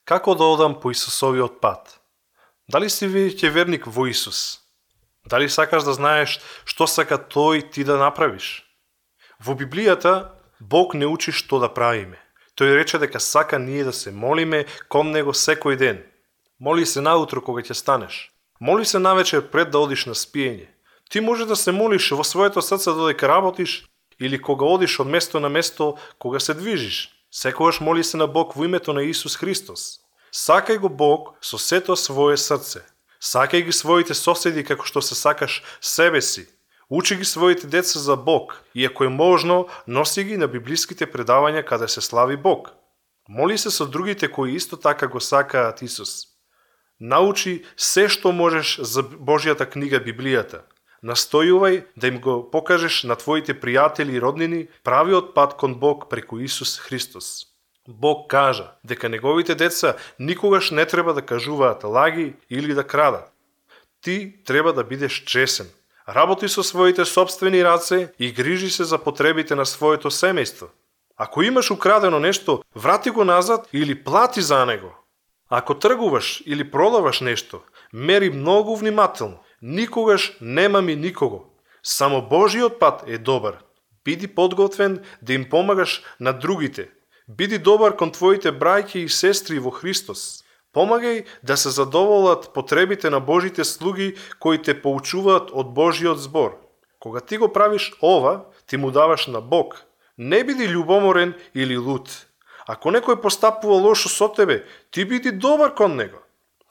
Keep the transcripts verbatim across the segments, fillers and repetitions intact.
Како да одам по Исусовиот пат? Дали си веќе верник во Исус? Дали сакаш да знаеш што сака Тој ти да направиш? Во Библијата Бог не учи што да правиме. Тој рече дека сака ние да се молиме кон Него секој ден. Моли се наутро кога ќе станеш. Моли се навечер пред да одиш на спиење. Ти може да се молиш во своето срце додека работиш или кога одиш од место на место кога се движиш. Секогаш моли се на Бог во името на Исус Христос. Сакај го Бог со сето свое срце. Сакај ги своите соседи како што се сакаш себе си. Учи ги своите деца за Бог и ако е можно, носи ги на библиските предавања каде се слави Бог. Моли се со другите кои исто така го сакаат Исус. Научи се што можеш за Божјата книга Библијата. Настојувај да им го покажеш на твоите пријатели и роднини правиот пат кон Бог преку Исус Христос. Бог кажа дека неговите деца никогаш не треба да кажуваат лаги или да крадат. Ти треба да бидеш чесен. Работи со своите собствени раце и грижи се за потребите на своето семејство. Ако имаш украдено нешто, врати го назад или плати за него. Ако тргуваш или продаваш нешто, мери многу внимателно. Никогаш нема ми никого. Само Божиот пат е добар. Биди подготвен да им помагаш на другите. Биди добар кон твоите браќи и сестри во Христос. Помагај да се задоволат потребите на Божите слуги кои те поучуваат од Божиот збор. Кога ти го правиш ова, ти му даваш на Бог. Не биди љубоморен или луд. Ако некој постапува лошо со тебе, ти биди добар кон него.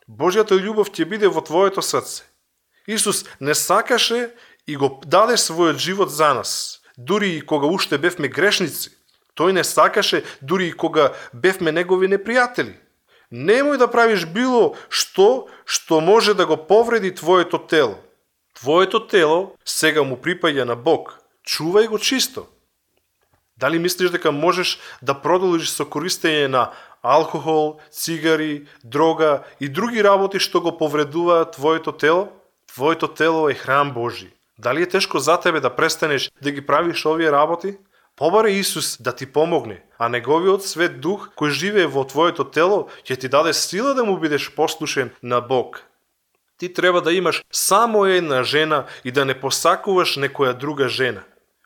Божјата љубов ќе биде во твоето срце. Исус не сакаше и го даде својот живот за нас, дури и кога уште бевме грешници. Тој не сакаше дури и кога бевме негови непријатели. Немој да правиш било што што може да го повреди твоето тело. Твоето тело сега му припаѓа на Бог. Чувај го чисто. Дали мислиш дека можеш да продолжиш со користење на алкохол, цигари, дрога и други работи што го повредуваат твоето тело? Твоето тело е храм Божи. Дали е тешко за тебе да престанеш да ги правиш овие работи? Побаре Исус да ти помогне, а неговиот свет дух кој живее во твоето тело ќе ти даде сила да му бидеш послушен на Бог. Ти треба да имаш само една жена и да не посакуваш некоја друга жена.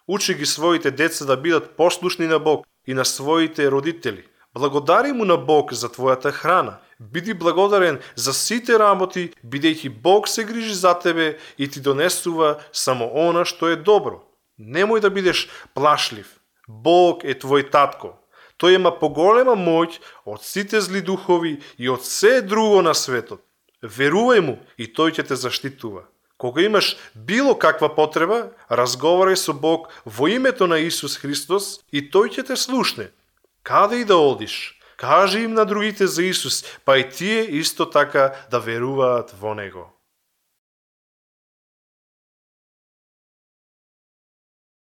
Учи ги своите деца да бидат послушни на Бог и на своите родители. Благодари му на Бог за твојата храна. Биди благодарен за сите работи, бидејќи Бог се грижи за тебе и ти донесува само она што е добро. Немој да бидеш плашлив. Бог е твој татко. Тој има поголема моќ од сите зли духови и од се друго на светот. Верувај му и тој ќе те заштитува. Кога имаш било каква потреба, разговарај со Бог во името на Исус Христос и тој ќе те слушне. Каде и да одиш, кажи им на другите за Исус, па и тие исто така да веруваат во Него.